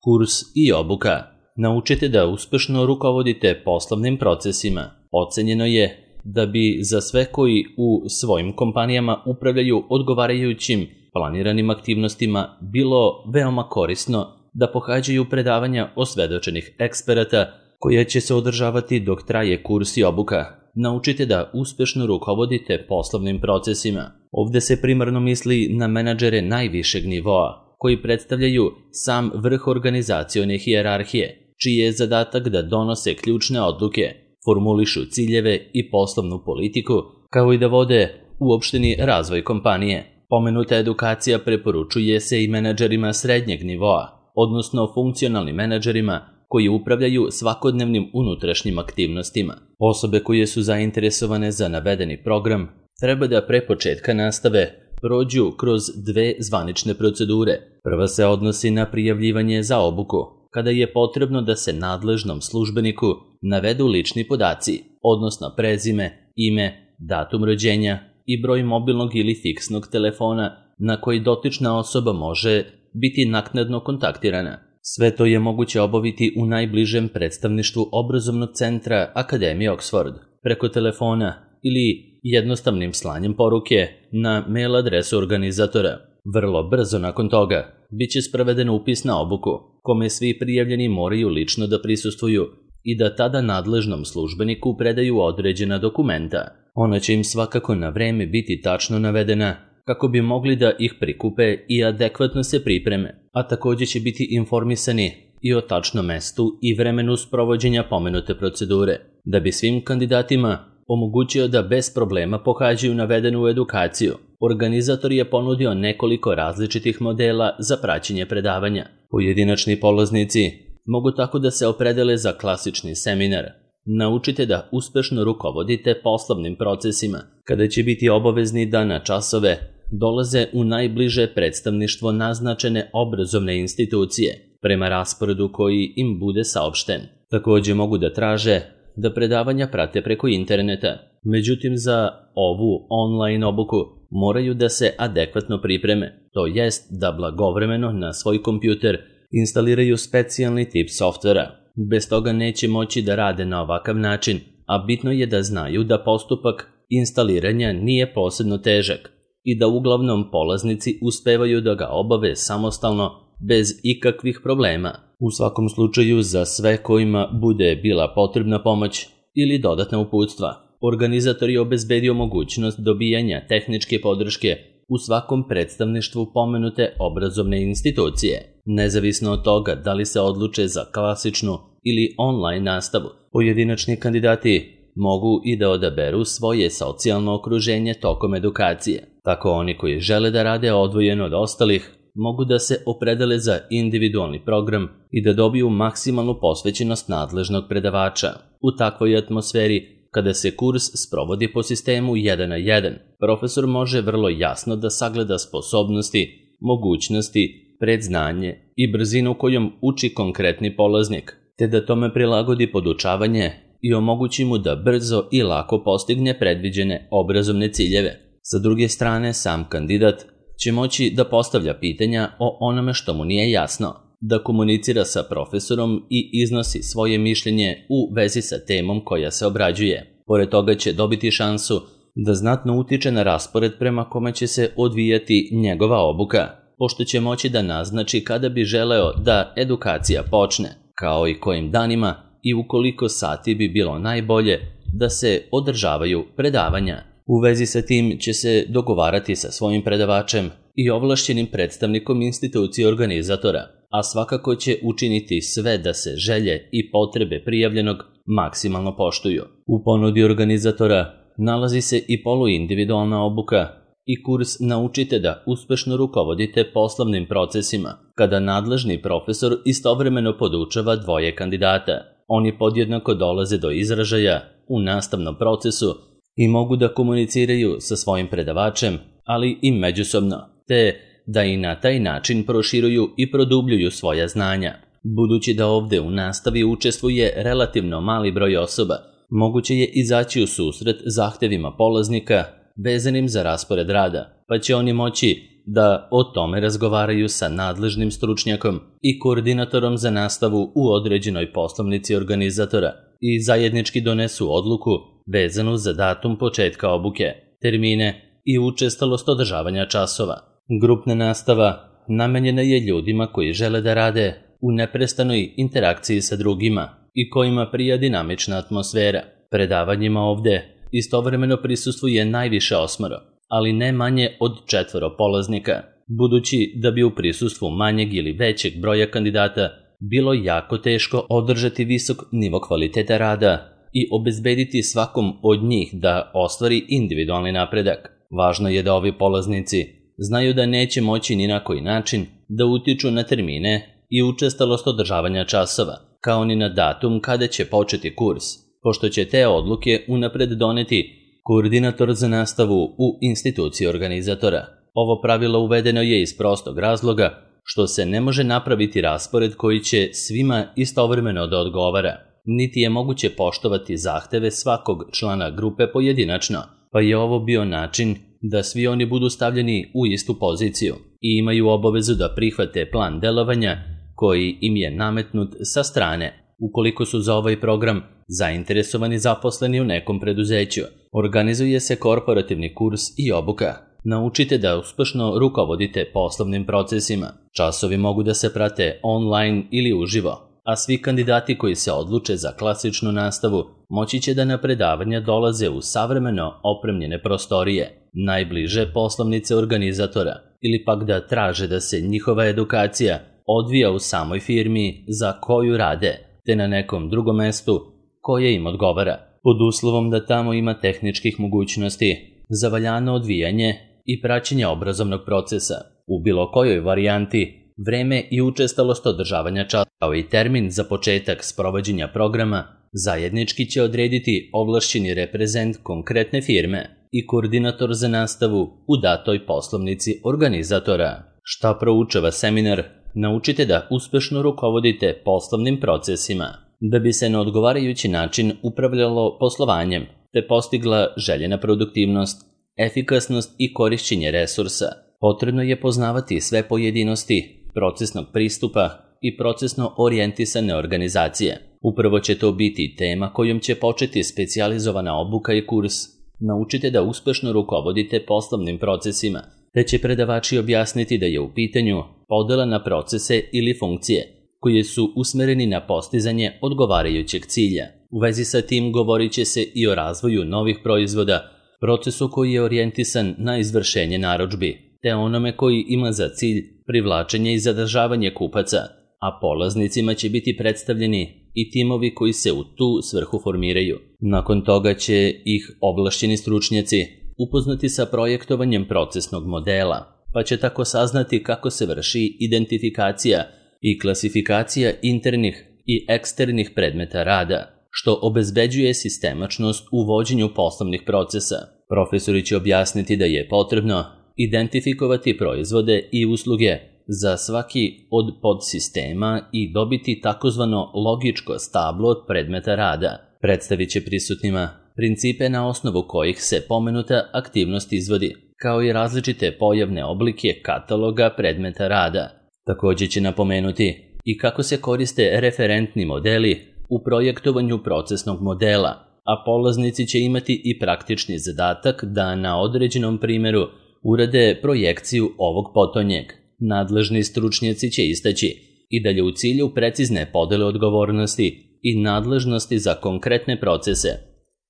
Kurs i obuka. Naučite da uspešno rukovodite poslovnim procesima. Ocenjeno je da bi za sve koji u svojim kompanijama upravljaju odgovarajućim planiranim aktivnostima bilo veoma korisno da pohađaju predavanja osvedočenih eksperata koja će se održavati dok traje kurs i obuka. Naučite da uspešno rukovodite poslovnim procesima. Ovde se primarno misli na menadžere najvišeg nivoa, koji predstavljaju sam vrh organizacione hijerarhije, čiji je zadatak da donose ključne odluke, formulišu ciljeve i poslovnu politiku, kao i da vode uopšteni razvoj kompanije. Pomenuta edukacija preporučuje se i menadžerima srednjeg nivoa, odnosno funkcionalnim menadžerima koji upravljaju svakodnevnim unutrašnjim aktivnostima. Osobe koje su zainteresovane za navedeni program treba da pre početka nastave prođu kroz dve zvanične procedure. Prva se odnosi na prijavljivanje za obuku, kada je potrebno da se nadležnom službeniku navedu lični podaci, odnosno prezime, ime, datum rođenja i broj mobilnog ili fiksnog telefona na koji dotična osoba može biti naknadno kontaktirana. Sve to je moguće obaviti u najbližem predstavništvu obrazovnog centra Akademije Oxford, preko telefona ili jednostavnim slanjem poruke na mail adresu organizatora. Vrlo brzo nakon toga biće sproveden upis na obuku, kome svi prijavljeni moraju lično da prisustvuju i da tada nadležnom službeniku predaju određena dokumenta. Ona će im svakako na vreme biti tačno navedena kako bi mogli da ih prikupe i adekvatno se pripreme, a takođe će biti informisani i o tačnom mestu i vremenu sprovođenja pomenute procedure. Da bi svim kandidatima omogućio da bez problema pohađaju navedenu edukaciju, organizator je ponudio nekoliko različitih modela za praćenje predavanja. Pojedinačni polaznici mogu tako da se opredele za klasični seminar. Naučite da uspešno rukovodite poslovnim procesima, kada će biti obavezni da na časove dolaze u najbliže predstavništvo naznačene obrazovne institucije, prema rasporedu koji im bude saopšten. Takođe mogu da traže da predavanja prate preko interneta. Međutim, za ovu online obuku moraju da se adekvatno pripreme, to jest da blagovremeno na svoj kompjuter instaliraju specijalni tip softvera. Bez toga neće moći da rade na ovakav način, a bitno je da znaju da postupak instaliranja nije posebno težak i da uglavnom polaznici uspevaju da ga obave samostalno bez ikakvih problema. U svakom slučaju, za sve kojima bude bila potrebna pomoć ili dodatna uputstva, organizator je obezbedio mogućnost dobijanja tehničke podrške u svakom predstavništvu pomenute obrazovne institucije. Nezavisno od toga da li se odluče za klasičnu ili online nastavu, pojedinačni kandidati mogu i da odaberu svoje socijalno okruženje tokom edukacije. Tako oni koji žele da rade odvojeno od ostalih mogu da se opredele za individualni program i da dobiju maksimalnu posvećenost nadležnog predavača. U takvoj atmosferi, kada se kurs sprovodi po sistemu 1 na 1, profesor može vrlo jasno da sagleda sposobnosti, mogućnosti, predznanje i brzinu kojom uči konkretni polaznik, te da tome prilagodi podučavanje i omogući mu da brzo i lako postigne predviđene obrazovne ciljeve. Sa druge strane, sam kandidat će moći da postavlja pitanja o onome što mu nije jasno, da komunicira sa profesorom i iznosi svoje mišljenje u vezi sa temom koja se obrađuje. Pored toga će dobiti šansu da znatno utiče na raspored prema kome će se odvijati njegova obuka, pošto će moći da naznači kada bi želeo da edukacija počne, kao i kojim danima i u koliko sati bi bilo najbolje da se održavaju predavanja. U vezi sa tim će se dogovarati sa svojim predavačem i ovlašćenim predstavnikom institucije organizatora, a svakako će učiniti sve da se želje i potrebe prijavljenog maksimalno poštuju. U ponudi organizatora nalazi se i poluindividualna obuka i kurs Naučite da uspešno rukovodite poslovnim procesima, kada nadležni profesor istovremeno podučava dvoje kandidata. Oni podjednako dolaze do izražaja u nastavnom procesu i mogu da komuniciraju sa svojim predavačem, ali i međusobno, te da i na taj način proširuju i produbljuju svoja znanja. Budući da ovde u nastavi učestvuje relativno mali broj osoba, moguće je izaći u susret zahtevima polaznika vezanim za raspored rada, pa će oni moći da o tome razgovaraju sa nadležnim stručnjakom i koordinatorom za nastavu u određenoj poslovnici organizatora i zajednički donesu odluku vezanu za datum početka obuke, termine i učestalost održavanja časova. Grupna nastava namenjena je ljudima koji žele da rade u neprestanoj interakciji sa drugima i kojima prija dinamična atmosfera. Predavanjima ovde istovremeno prisustvuje najviše 8, ali ne manje od 4 polaznika, budući da bi u prisustvu manjeg ili većeg broja kandidata bilo jako teško održati visok nivo kvaliteta rada i obezbediti svakom od njih da ostvari individualni napredak. Važno je da ovi polaznici znaju da neće moći ni na koji način da utiču na termine i učestalost održavanja časova, kao ni na datum kada će početi kurs, pošto će te odluke unapred doneti koordinator za nastavu u instituciji organizatora. Ovo pravilo uvedeno je iz prostog razloga što se ne može napraviti raspored koji će svima istovremeno da odgovara, niti je moguće poštovati zahteve svakog člana grupe pojedinačno, pa je ovo bio način da svi oni budu stavljeni u istu poziciju i imaju obavezu da prihvate plan delovanja koji im je nametnut sa strane. Ukoliko su za ovaj program zainteresovani zaposleni u nekom preduzeću, organizuje se korporativni kurs i obuka. Naučite da uspešno rukovodite poslovnim procesima. Časovi mogu da se prate online ili uživo, a svi kandidati koji se odluče za klasičnu nastavu moći će da na predavanja dolaze u savremeno opremljene prostorije, najbliže poslovnice organizatora, ili pak da traže da se njihova edukacija odvija u samoj firmi za koju rade, te na nekom drugom mestu koje im odgovara, pod uslovom da tamo ima tehničkih mogućnosti za valjano odvijanje i praćenje obrazovnog procesa. U bilo kojoj varijanti, vreme i učestalost održavanja časa, kao i termin za početak sprovođenja programa, zajednički će odrediti ovlašćeni reprezent konkretne firme i koordinator za nastavu u datoj poslovnici organizatora. Šta proučava seminar? Naučite da uspešno rukovodite poslovnim procesima, da bi se na odgovarajući način upravljalo poslovanjem, te postigla željena produktivnost, efikasnost i korišćenje resursa. Potrebno je poznavati sve pojedinosti procesnog pristupa i procesno orijentisane organizacije. Upravo će to biti tema kojom će početi specijalizovana obuka i kurs. Naučite da uspešno rukovodite poslovnim procesima, te će predavači objasniti da je u pitanju podela na procese ili funkcije, koje su usmereni na postizanje odgovarajućeg cilja. U vezi sa tim govorit će se i o razvoju novih proizvoda, procesu koji je orijentisan na izvršenje narudžbi, te onome koji ima za cilj privlačenje i zadržavanje kupaca, a polaznicima će biti predstavljeni i timovi koji se u tu svrhu formiraju. Nakon toga će ih ovlašćeni stručnjaci upoznati sa projektovanjem procesnog modela, pa će tako saznati kako se vrši identifikacija i klasifikacija internih i eksternih predmeta rada, što obezbeđuje sistemačnost u vođenju poslovnih procesa. Profesori će objasniti da je potrebno identifikovati proizvode i usluge za svaki od podsistema i dobiti takozvano logičko stablo od predmeta rada. Predstavit će prisutnima principe na osnovu kojih se pomenuta aktivnost izvodi, kao i različite pojavne oblike kataloga predmeta rada. Također će napomenuti i kako se koriste referentni modeli u projektovanju procesnog modela, a polaznici će imati i praktični zadatak da na određenom primjeru urade projekciju ovog potonjeg. Nadležni stručnjaci će istaći i dalje u cilju precizne podele odgovornosti i nadležnosti za konkretne procese.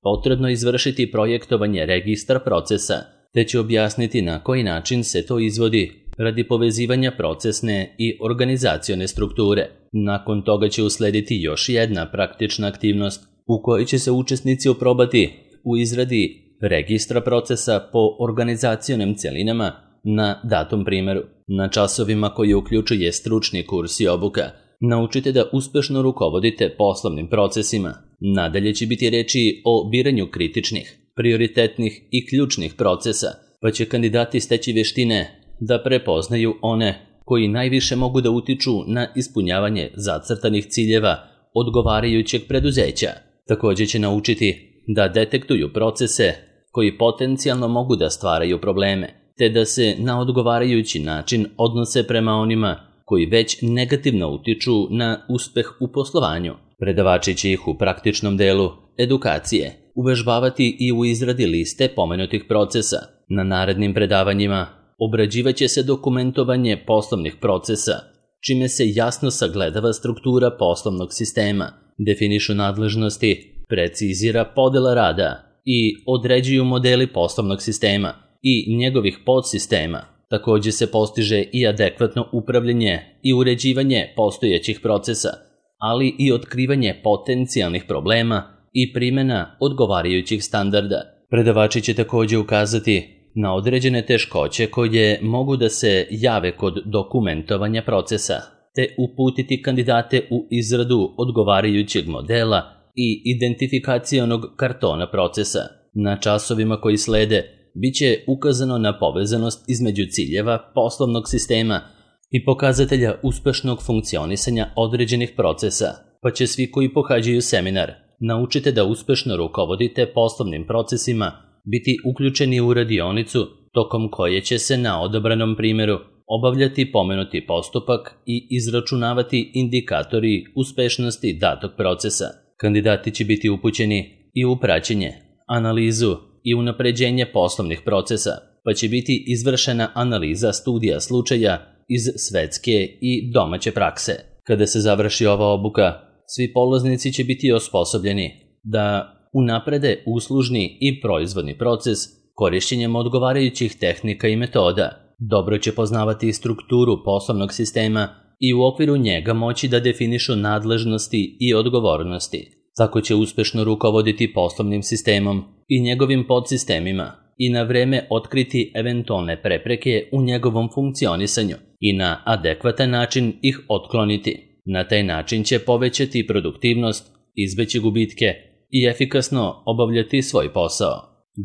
Potrebno izvršiti projektovanje registra procesa, te će objasniti na koji način se to izvodi radi povezivanja procesne i organizacione strukture. Nakon toga će uslediti još jedna praktična aktivnost u kojoj će se učesnici oprobati u izradi registra procesa po organizacionim cjelinama na datom primjeru. Na časovima koji uključuje stručni kurs i obuka, naučite da uspešno rukovodite poslovnim procesima. Nadalje će biti reči o biranju kritičnih, prioritetnih i ključnih procesa, pa će kandidati steći vještine da prepoznaju one koji najviše mogu da utiču na ispunjavanje zacrtanih ciljeva odgovarajućeg preduzeća. Također će naučiti da detektuju procese koji potencijalno mogu da stvaraju probleme te da se na odgovarajući način odnose prema onima koji već negativno utiču na uspeh u poslovanju. Predavači će ih u praktičnom delu edukacije uvežbavati i u izradi liste pomenutih procesa. Na narednim predavanjima obrađivaće se dokumentovanje poslovnih procesa, čime se jasno sagledava struktura poslovnog sistema, definišu nadležnosti, precizira podela rada i određuju modeli poslovnog sistema i njegovih podsistema. Takođe se postiže i adekvatno upravljanje i uređivanje postojećih procesa, ali i otkrivanje potencijalnih problema i primjena odgovarajućih standarda. Predavači će takođe ukazati na određene teškoće koje mogu da se jave kod dokumentovanja procesa, te uputiti kandidate u izradu odgovarajućeg modela i identifikacionog kartona procesa. Na časovima koji slede biće ukazano na povezanost između ciljeva poslovnog sistema i pokazatelja uspešnog funkcionisanja određenih procesa, pa će svi koji pohađaju seminar naučite da uspešno rukovodite poslovnim procesima biti uključeni u radionicu tokom koje će se na odabranom primjeru obavljati pomenuti postupak i izračunavati indikatori uspešnosti datog procesa. Kandidati će biti upućeni i u praćenje, analizu i unapređenje poslovnih procesa, pa će biti izvršena analiza studija slučaja iz svetske i domaće prakse. Kada se završi ova obuka, svi polaznici će biti osposobljeni da unaprede uslužni i proizvodni proces korišćenjem odgovarajućih tehnika i metoda. Dobro će poznavati strukturu poslovnog sistema i u okviru njega moći da definišu nadležnosti i odgovornosti. Tako će uspešno rukovoditi poslovnim sistemom i njegovim podsistemima i na vreme otkriti eventualne prepreke u njegovom funkcionisanju i na adekvatan način ih otkloniti. Na taj način će povećati produktivnost, izbeći gubitke i efikasno obavljati svoj posao.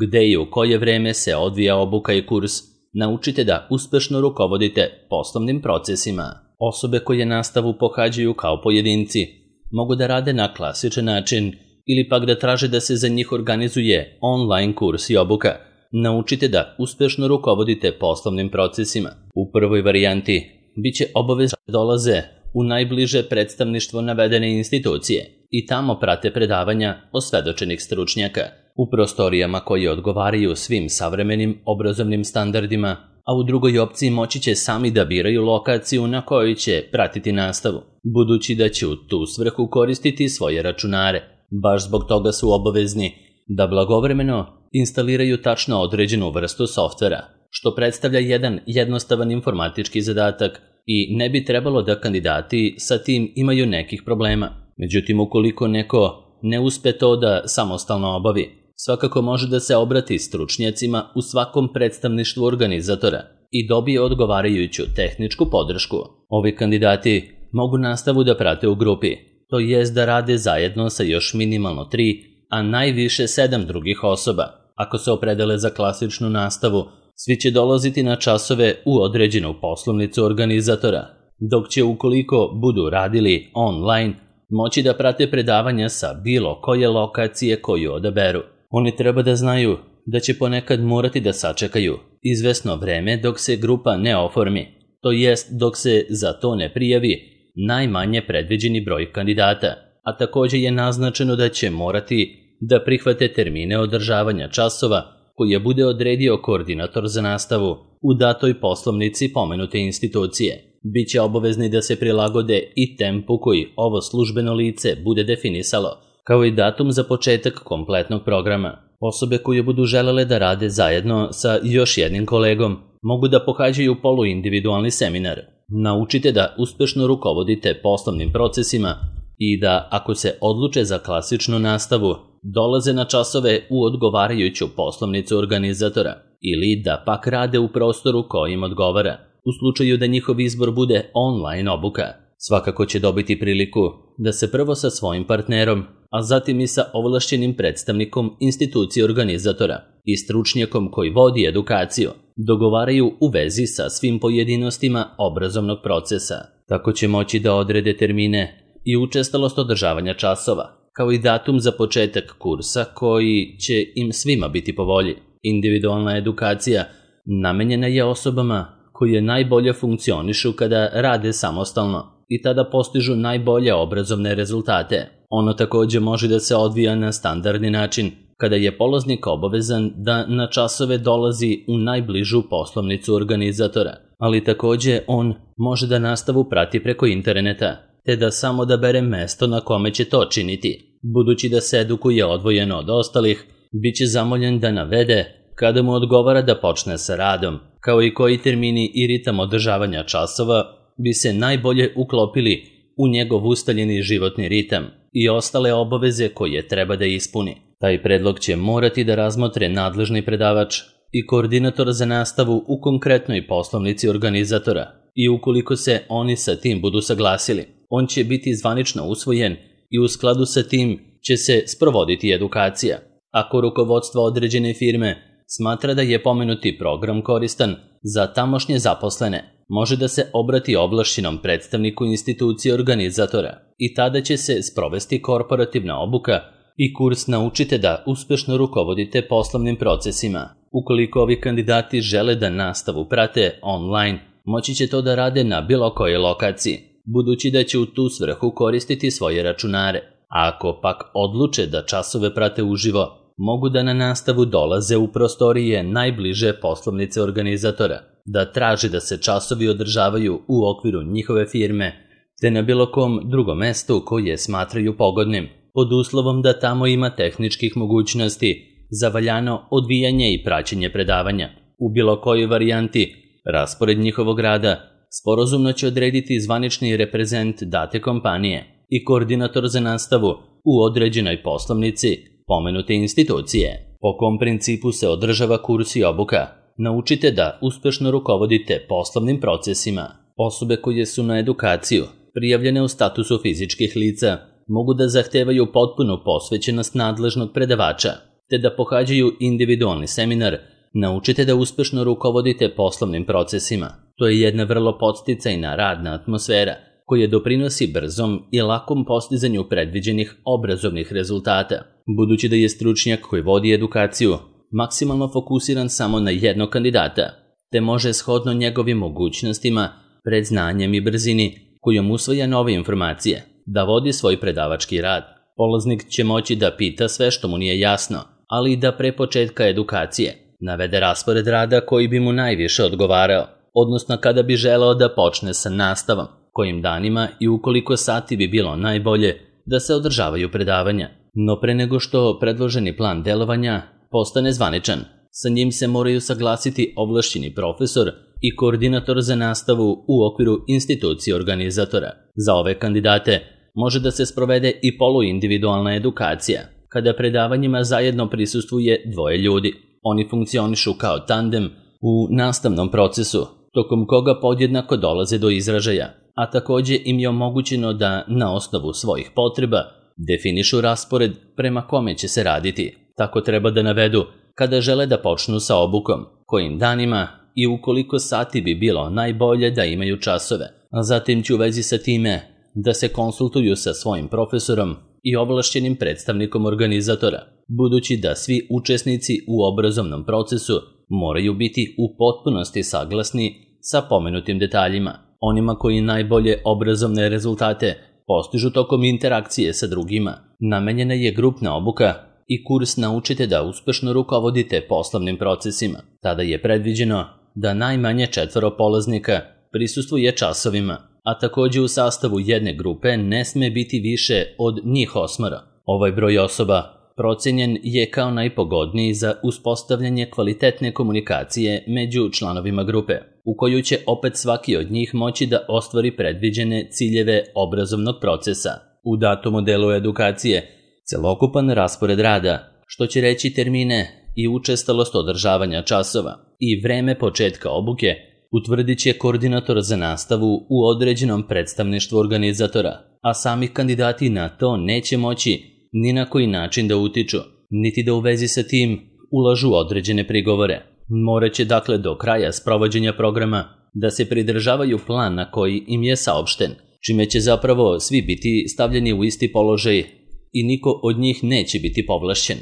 Gde i u koje vreme se odvija obuka i kurs, naučite da uspešno rukovodite poslovnim procesima. Osobe koje nastavu pohađaju kao pojedinci mogu da rade na klasičan način ili pak da traže da se za njih organizuje online kurs i obuka. Naučite da uspešno rukovodite poslovnim procesima. U prvoj varijanti biće obavezno da dolaze u najbliže predstavništvo navedene institucije i tamo prate predavanja osvedočenih stručnjaka u prostorijama koje odgovaraju svim savremenim obrazovnim standardima, a u drugoj opciji moći će sami da biraju lokaciju na kojoj će pratiti nastavu, budući da će u tu svrhu koristiti svoje računare. Baš zbog toga su obavezni da blagovremeno instaliraju tačno određenu vrstu softvera, što predstavlja jedan jednostavan informatički zadatak i ne bi trebalo da kandidati sa tim imaju nekih problema. Međutim, ukoliko neko ne uspe to da samostalno obavi, svakako može da se obrati stručnjacima u svakom predstavništvu organizatora i dobije odgovarajuću tehničku podršku. Ovi kandidati mogu nastavu da prate u grupi, to jest da rade zajedno sa još minimalno 3, a najviše 7 drugih osoba. Ako se opredele za klasičnu nastavu, svi će dolaziti na časove u određenu poslovnicu organizatora, dok će ukoliko budu radili online, moći da prate predavanja sa bilo koje lokacije koju odaberu. Oni treba da znaju da će ponekad morati da sačekaju izvesno vreme dok se grupa ne oformi, to jest dok se za to ne prijavi najmanje predviđeni broj kandidata, a takođe je naznačeno da će morati da prihvate termine održavanja časova koje bude odredio koordinator za nastavu u datoj poslovnici pomenute institucije. Biće obavezni da se prilagode i tempu koji ovo službeno lice bude definisalo, kao i datum za početak kompletnog programa. Osobe koje budu želele da rade zajedno sa još jednim kolegom mogu da pohađaju poluindividualni seminar. Naučite da uspešno rukovodite poslovnim procesima i da, ako se odluče za klasičnu nastavu, dolaze na časove u odgovarajuću poslovnicu organizatora ili da pak rade u prostoru koji im odgovara. U slučaju da njihov izbor bude online obuka, svakako će dobiti priliku da se prvo sa svojim partnerom, a zatim i sa ovlašćenim predstavnikom institucije organizatora i stručnjakom koji vodi edukaciju dogovaraju u vezi sa svim pojedinostima obrazovnog procesa. Tako će moći da odrede termine i učestalost održavanja časova, kao i datum za početak kursa koji će im svima biti po volji. Individualna edukacija namenjena je osobama koje najbolje funkcionišu kada rade samostalno i tada postižu najbolje obrazovne rezultate. Ono takođe može da se odvija na standardni način, kada je polaznik obavezan da na časove dolazi u najbližu poslovnicu organizatora, ali takođe on može da nastavu prati preko interneta, te da samo odabere mesto na kome će to činiti. Budući da se edukuje odvojeno od ostalih, bit će zamoljen da navede kada mu odgovara da počne sa radom, kao i koji termini i ritam održavanja časova bi se najbolje uklopili u njegov ustaljeni životni ritam i ostale obaveze koje treba da ispuni. Taj predlog će morati da razmotre nadležni predavač i koordinator za nastavu u konkretnoj poslovnici organizatora i ukoliko se oni sa tim budu saglasili, on će biti zvanično usvojen i u skladu sa tim će se sprovoditi edukacija. Ako rukovodstvo određene firme smatra da je pomenuti program koristan za tamošnje zaposlene, može da se obrati ovlašćenom predstavniku institucije organizatora i tada će se sprovesti korporativna obuka i kurs Naučite da uspešno rukovodite poslovnim procesima. Ukoliko ovi kandidati žele da nastavu prate online, moći će to da rade na bilo kojoj lokaciji, budući da će u tu svrhu koristiti svoje računare. A ako pak odluče da časove prate uživo, mogu da na nastavu dolaze u prostorije najbliže poslovnice organizatora, da traže da se časovi održavaju u okviru njihove firme, te na bilo kom drugom mestu koje smatraju pogodnim, pod uslovom da tamo ima tehničkih mogućnosti za valjano odvijanje i praćenje predavanja. U bilo kojoj varijanti, raspored njihovog rada sporazumno će odrediti zvanični reprezent date kompanije i koordinator za nastavu u određenoj poslovnici pomenute institucije. Po kom principu se održava kurs i obuka? Naučite da uspešno rukovodite poslovnim procesima. Osobe koje su na edukaciju prijavljene u statusu fizičkih lica mogu da zahtevaju potpunu posvećenost nadležnog predavača, te da pohađaju individualni seminar Naučite da uspešno rukovodite poslovnim procesima. To je jedna vrlo podsticajna radna atmosfera koja doprinosi brzom i lakom postizanju predviđenih obrazovnih rezultata. Budući da je stručnjak koji vodi edukaciju maksimalno fokusiran samo na jednog kandidata, te može shodno njegovim mogućnostima, predznanjem i brzini kojom usvaja nove informacije, da vodi svoj predavački rad. Polaznik će moći da pita sve što mu nije jasno, ali i da pre početka edukacije navede raspored rada koji bi mu najviše odgovarao, odnosno kada bi želeo da počne sa nastavom, kojim danima i ukoliko sati bi bilo najbolje da se održavaju predavanja. No pre nego što predloženi plan delovanja postane zvaničan, sa njim se moraju saglasiti ovlašćeni profesor i koordinator za nastavu u okviru institucije organizatora. Za ove kandidate može da se sprovede i poluindividualna edukacija, kada predavanjima zajedno prisustvuje dvoje ljudi. Oni funkcionišu kao tandem u nastavnom procesu, tokom koga podjednako dolaze do izražaja, a takođe im je omogućeno da na osnovu svojih potreba definišu raspored prema kome će se raditi. Tako treba da navedu kada žele da počnu sa obukom, kojim danima i ukoliko sati bi bilo najbolje da imaju časove, a zatim će u vezi sa time da se konsultuju sa svojim profesorom i ovlašćenim predstavnikom organizatora, budući da svi učesnici u obrazovnom procesu moraju biti u potpunosti saglasni sa pomenutim detaljima. Onima koji najbolje obrazovne rezultate postižu tokom interakcije sa drugima, namenjena je grupna obuka i kurs Naučite da uspešno rukovodite poslovnim procesima. Tada je predviđeno da najmanje 4 polaznika prisustvuje časovima, a takođe u sastavu jedne grupe ne sme biti više od njih 8. Ovaj broj osoba procenjen je kao najpogodniji za uspostavljanje kvalitetne komunikacije među članovima grupe, u koju će opet svaki od njih moći da ostvari predviđene ciljeve obrazovnog procesa. U datom modelu edukacije, celokupan raspored rada, što će reći termine i učestalost održavanja časova i vreme početka obuke, utvrdit će koordinator za nastavu u određenom predstavništvu organizatora, a sami kandidati na to neće moći ni na koji način da utiču, niti da u vezi sa tim ulažu određene prigovore. Moraće dakle do kraja sprovođenja programa da se pridržavaju plana koji im je saopšten, čime će zapravo svi biti stavljeni u isti položaj i niko od njih neće biti povlašćen,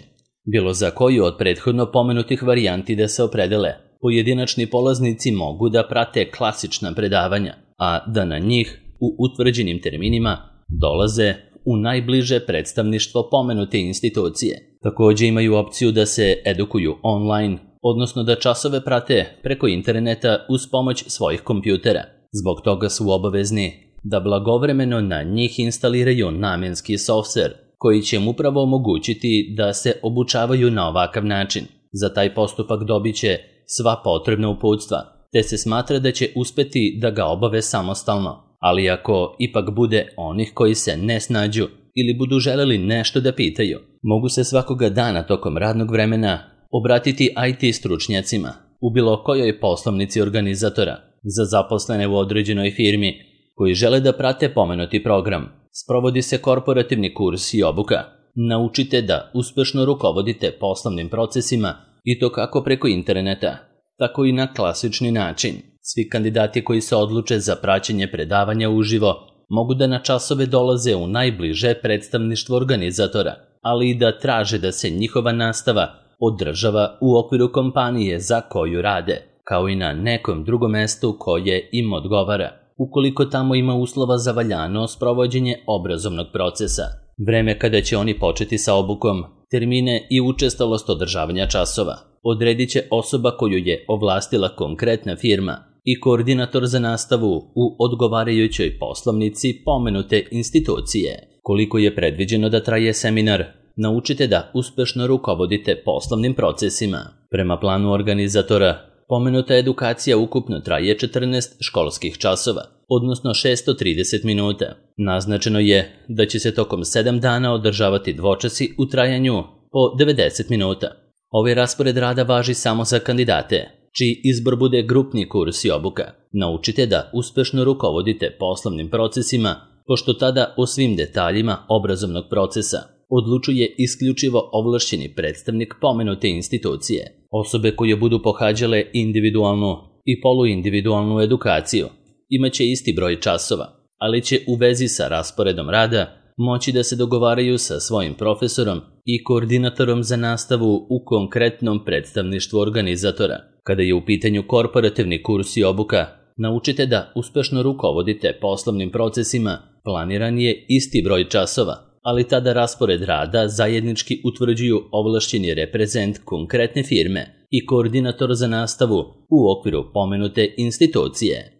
bilo za koju od prethodno pomenutih varijanti da se opredele. Pojedinačni polaznici mogu da prate klasična predavanja, a da na njih u utvrđenim terminima dolaze u najbliže predstavništvo pomenute institucije. Takođe imaju opciju da se edukuju online, odnosno da časove prate preko interneta uz pomoć svojih kompjutera. Zbog toga su obavezni da blagovremeno na njih instaliraju namenski softver koji će im upravo omogućiti da se obučavaju na ovakav način. Za taj postupak dobit će sva potrebna uputstva, te se smatra da će uspeti da ga obave samostalno. Ali ako ipak bude onih koji se ne snađu ili budu želeli nešto da pitaju, mogu se svakoga dana tokom radnog vremena obratiti IT stručnjacima u bilo kojoj poslovnici organizatora za zaposlene u određenoj firmi koji žele da prate pomenuti program. Sprovodi se korporativni kurs i obuka. Naučite da uspešno rukovodite poslovnim procesima i to kako preko interneta, tako i na klasični način. Svi kandidati koji se odluče za praćenje predavanja uživo mogu da na časove dolaze u najbliže predstavništvo organizatora, ali i da traže da se njihova nastava održava u okviru kompanije za koju rade, kao i na nekom drugom mestu koje im odgovara, ukoliko tamo ima uslova za valjano sprovođenje obrazovnog procesa. Vreme kada će oni početi sa obukom, termine i učestalost održavanja časova odredit će osoba koju je ovlastila konkretna firma i koordinator za nastavu u odgovarajućoj poslovnici pomenute institucije. Koliko je predviđeno da traje seminar, naučite da uspešno rukovodite poslovnim procesima. Prema planu organizatora, pomenuta edukacija ukupno traje 14 školskih časova, odnosno 630 minuta. Naznačeno je da će se tokom 7 dana održavati dvočasi u trajanju po 90 minuta. Ovaj raspored rada važi samo za kandidate čiji izbor bude grupni kurs i obuka. Naučite da uspešno rukovodite poslovnim procesima, pošto tada o svim detaljima obrazovnog procesa odlučuje isključivo ovlašćeni predstavnik pomenute institucije. Osobe koje budu pohađale individualnu i poluindividualnu edukaciju imaće isti broj časova, ali će u vezi sa rasporedom rada moći da se dogovaraju sa svojim profesorom i koordinatorom za nastavu u konkretnom predstavništvu organizatora. Kada je u pitanju korporativni kurs i obuka, naučite da uspešno rukovodite poslovnim procesima, planiran je isti broj časova, ali tada raspored rada zajednički utvrđuju ovlašćeni reprezent konkretne firme i koordinator za nastavu u okviru pomenute institucije.